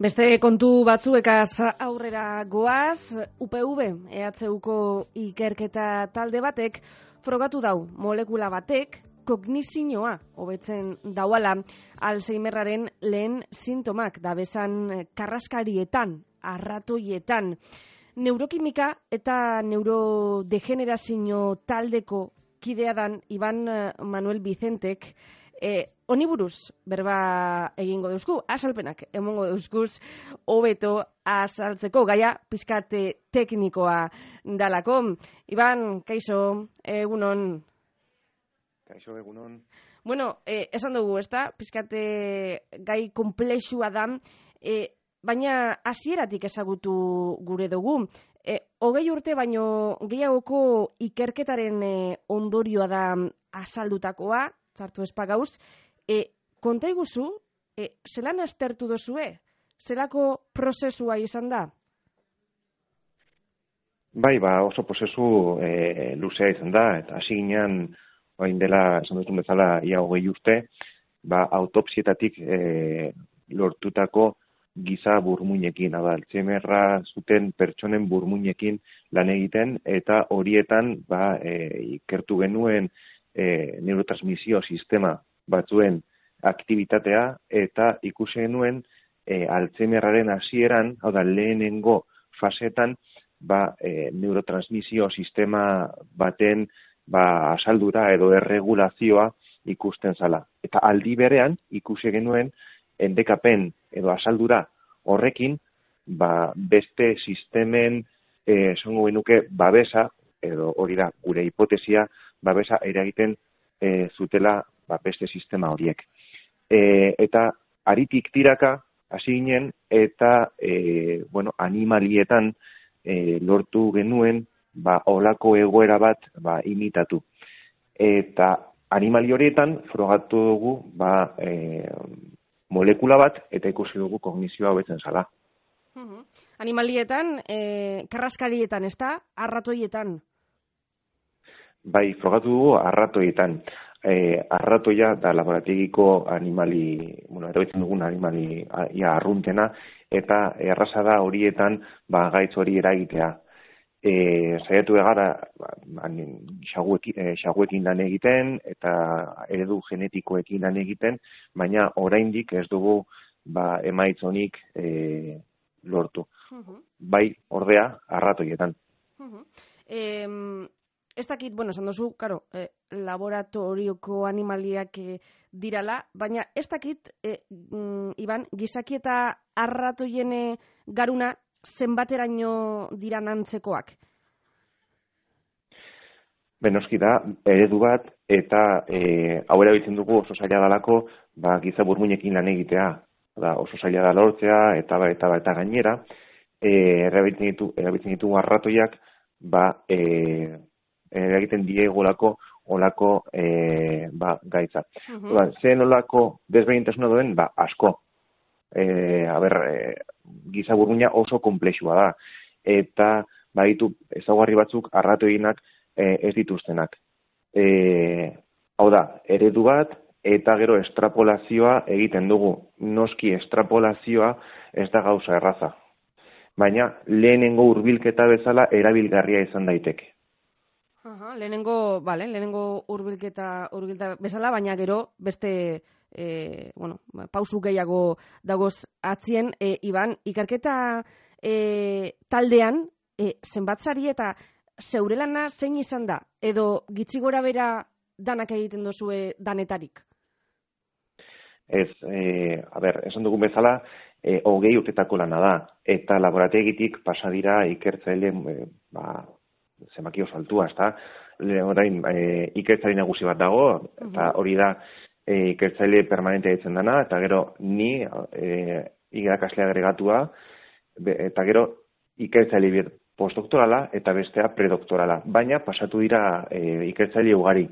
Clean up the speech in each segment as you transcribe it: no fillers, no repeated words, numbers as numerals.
Beste kontu batzuekaz aurrera goaz, UPV, EHUko ikerketa talde batek, frogatu dau molekula batek, kognizioa hobetzen dauala, Alzheimerraren lehen sintomak dabezan karraskarietan, arratoietan. Neurokimika eta neurodegenerazio taldeko kidea dan Iban Manuel Vicentek, honi buruz berba egingo deuzku, azalpenak emongo deuzkuz, hobeto azaltzeko gaia pizkate teknikoa dalako. Iban, kaixo, egunon. Kaixo, egunon. Bueno, esan dugu, ezta? Pizkate gai komplexua da, baina hasieratik ezagutu gure dugu. 20 urte baino gehiagoko ikerketaren ondorioa da azaldutakoa, txartu espagauz. Konta iguzu, zelan aztertu dozue? Zelako prozesua izan da? Bai, oso prozesu luzea izan da, eta hasi ginen, orain dela, esan duzun bezala, ia 20 urte, autopsietatik lortutako giza burmuinekin, Alzheimerra zuten pertsonen burmuinekin lan egiten, eta horietan ikertu genuen neurotransmisio sistema batzuen aktibitatea, eta ikusi genuen Alzheimerraren hasieran, hau da, lehenengo fasetan, neurotransmisio sistema baten asaldura edo erregulazioa ikusten zala. Eta aldi berean ikusi genuen endekapen edo asaldura horrekin beste sistemen esango genuke babesa, edo hori da gure hipotesia, babesa eragiten zutela beste sistema horiek. Eta haritik tiraka hasi ginen eta animalietan lortu genuen olako egoera bat imitatu. Eta animali horietan frogatu dugu molekula bat eta ikusi dugu kognizioa hobetzen zala. Animalietan, karraskarietan, ez da? Arratoietan? Bai, frogatu dugu arratoietan. Arratoia da laborategiko animali, erabiltzen dugun animali arruntena, eta erraza da horietan gaitz hori eragitea. Saiatu egara xaguekin lan egiten eta eredu genetikoekin lan egiten, baina oraindik ez dugu emaitz honik lortu. Bai, ordea, arratoietan. Ez dakit, esan duzu, laboratorioko animaliak dirala, baina ez dakit, Iban, gizaki eta arratoien garuna zenbateraino diran antzekoak? Benoski da, eredu bat, eta hau erabiltzen dugu oso zaila dalako giza burmuinekin lan egitea. Oso zaila da lortzea, eta gainera, erabiltzen ditugu arratoiak, eragiten diegolako olako gaitza. Zen olako desberdintasuna duen, asko. Giza burmuina oso komplexua da. Eta baditu ezaugarri batzuk arratoienak ez dituztenak. Hau da, eredu bat eta gero estrapolazioa egiten dugu. Noski estrapolazioa ez da gauza erraza. Baina lehenengo hurbilketa bezala erabilgarria izan daiteke. Lehenengo hurbilketa bezala, baina gero beste pausu gehiago dagoz atzien. Iban, ikerketa taldean zenbatzari eta zeure lana zein izan da? Edo gitzi gora bera danak egiten dozue danetarik? Ez, esan dugun bezala, 20 urtetako lana da. Eta laborategitik pasa dira ikertzaile zenbaki oso altua, ezta? Orain ikertzaile nagusi bat dago, eta hori da ikertzaile permanente ditzen dana, eta gero ni irakasle agregatua, eta gero ikertzaile postdoktorala eta bestea predoktorala. Baina pasatu dira ikertzaile ugari.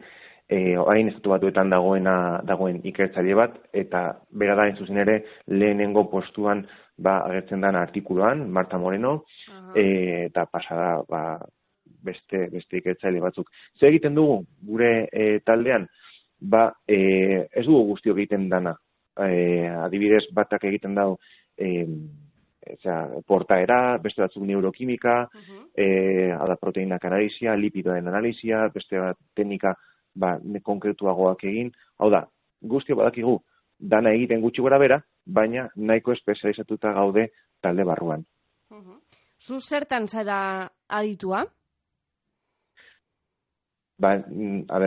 Orain estatu batuetan dagoen ikertzaile bat, eta bera da zuzen ere lehenengo postuan agertzen den artikuluan, Marta Moreno, eta pasada beste ikertzaile batzuk. Zer egiten dugu gure taldean? Ez dugu guztiok egiten dana. Adibidez, batak egiten dago portaera, beste batzuk neurokimika, ada proteinak analisia, lipidoen analisia, beste bat teknika konkretuagoak egin. Hau da, guztio badakigu dana egiten gutxi gora bera, baina nahiko espezializatuta gaude talde barruan. Zu zertan zara aditua?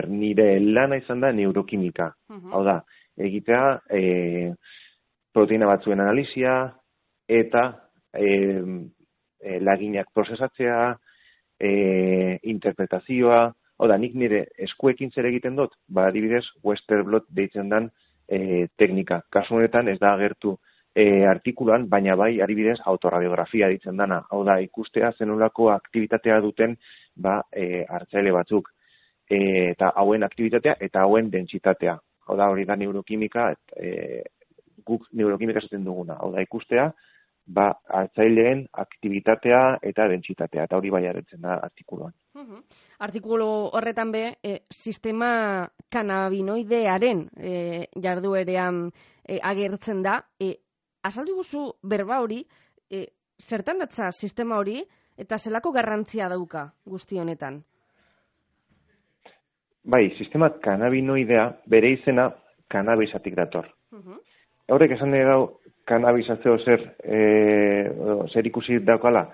Nire lana izan da neurokimika. Hau da, egitea proteina batzuen analisia eta laginak prozesatzea, interpretazioa. Hau da, nik nire eskuekin zer egiten dut, adibidez, Western blot deitzen dan teknika. Kasu honetan ez da agertu artikuluan, baina bai, adibidez, autoradiografia ditzen dana. Hau da, ikustea zenolako aktibitatea duten hartzaile batzuk. Eta hauen aktibitatea eta hauen dentsitatea. Hau da, hori da neurokimika, guk neurokimika esaten duguna. Hau da, ikustea, hartzaileen aktibitatea eta dentsitatea. Eta hori bai agertzen da artikuluan. Artikulu horretan sistema kanabinoidearen jarduerean agertzen da. Azaldu guzu berba hori, zertan datza sistema hori eta zelako garrantzia dauka guzti honetan? Bai, sistema kanabinoidea bere izena kanabisatik dator. Horrek esan nahi dau, kanabisazio zer ikusi daukala,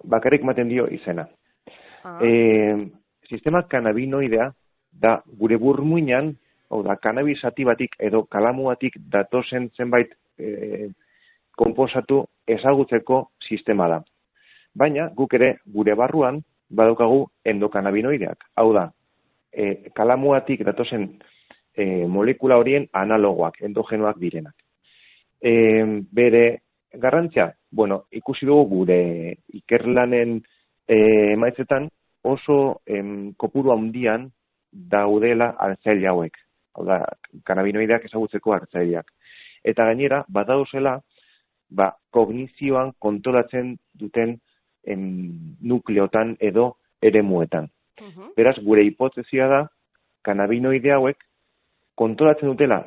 bakarrik maten dio izena. Sistema kanabinoidea da gure burmuinan, hau da, kanabisatibatik edo kalamuatik datozen zenbait konposatu ezagutzeko sistema da. Baina, guk ere gure barruan badaukagu endokanabinoideak. Hau da, kalamuatik datozen molekula horien analogoak, endogenoak direnak. Bere garrantzia, ikusi dugu gure ikerlanen emaitzetan oso kopuru handian daudela hartzaile hauek. Hau da, kanabinoideak ezagutzeko hartzaileak. Eta gainera, badauzela, kognizioan kontrolatzen duten nukleotan edo eremuetan. Beraz, gure hipotezia da, kanabinoide hauek kontrolatzen dutela,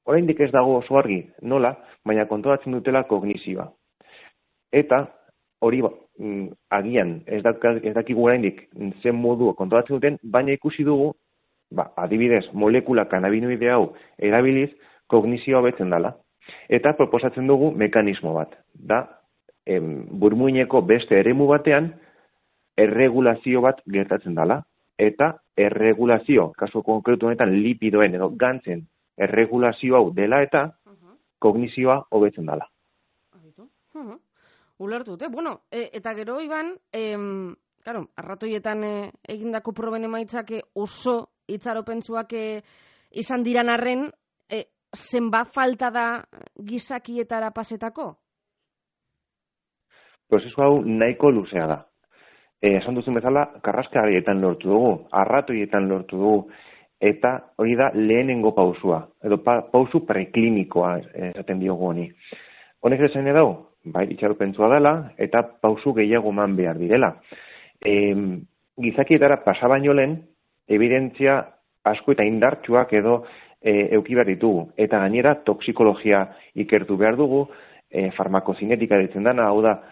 oraindik ez dago oso argi, nola, baina kontrolatzen dutela kognizioa. Eta, hori agian, ez dakigu oraindik zen modu kontrolatzen duten, baina ikusi dugu, adibidez, molekula kanabinoide hau erabiliz, kognizioa betzen dela. Eta proposatzen dugu mekanismo bat. Da, burmuineko beste eremu batean, erregulazio bat gertatzen dela. Eta erregulazio, kasu konkretu honetan lipidoen edo gantzen erregulazio hau dela eta kognizioa hobetzen dela. Ulertu dute. Eta gero, Iban, arratoietan egindako proben emaitzak oso itxaropentsuak izan diran arren, zenbat falta da gizakietara pasetako? Prozesu hau nahiko luzea da. Esan duzun bezala, karraskarietan lortu dugu, arratoietan lortu dugu, eta hori da lehenengo pausua, edo pausu preklinikoa esaten diogu honi. Honek esan edau, itxaropentsua dela, eta pausu gehiago eman behar direla. Gizakietara pasa baino lehen, evidentzia asko eta indartsuak edo euki behar ditugu. Eta gainera, toksikologia ikertu behar dugu, farmakozinetika ditzen dana, hau da,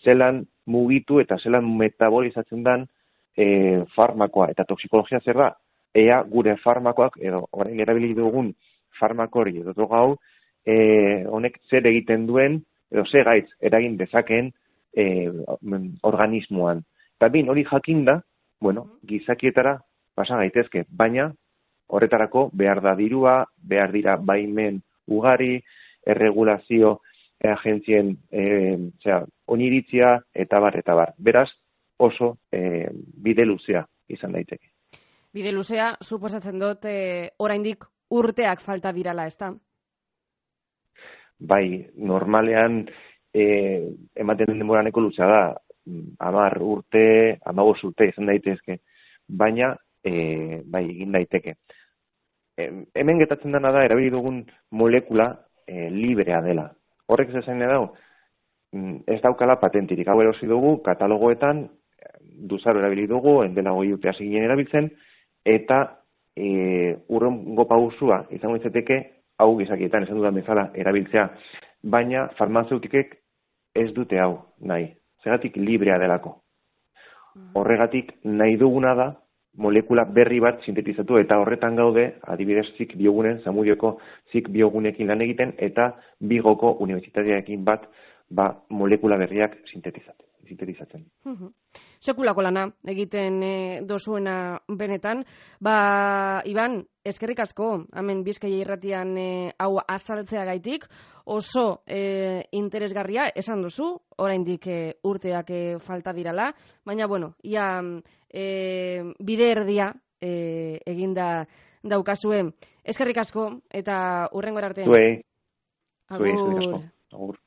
zelan mugitu eta zelan metabolizatzen den farmakoa. Eta toksikologia zer da, ea gure farmakoak, edo orain erabili dugun farmakori edo droga hau, honek zer egiten duen, edo ze gaitz eragin dezakeen organismoan. Eta hori jakinda, gizakietara pasa gaitezke, baina horretarako behar da dirua, behar dira baimen ugari, erregulazio agentzien oniritzia eta bar. Beraz, oso bide luzea izan daiteke. Bide luzea, suposatzen dut, oraindik urteak falta dirala, ezta? Bai, normalean ematen den denbora nahiko luzea da, 10 urte, 15 urte izan daitezke, baina bai egin daiteke. Hemen getatzen dena da, erabili dugun molekula librea dela. Horrek zezain edau, ez daukala patentirik. Hau erosi dugu, katalogoetan, duzaro erabili dugu, endela 20 urte hasi ginen erabiltzen, eta urrengo pausua izango izateke, hau gizakietan esan dudan bezala erabiltzea, baina farmazeutikek ez dute hau nahi. Zergatik librea delako. Horregatik nahi duguna da molekula berri bat sintetizatu eta horretan gaude, adibidez zik biogunen, Zamudioko zik biogunekin lan egiten eta Bigoko unibertsitatearekin bat molekula berriak sintetizatzen. Sekulako lana egiten dozuena benetan. Iban, eskerrik asko, hemen Bizkaia irratian hau azaltzeagaitik, oso interesgarria esan duzu, oraindik urteak falta dirala, baina bueno, ia bide erdia eginda daukazue. Eskerrik asko eta hurrengora arte. Zuei, eskerrik asko. Agur.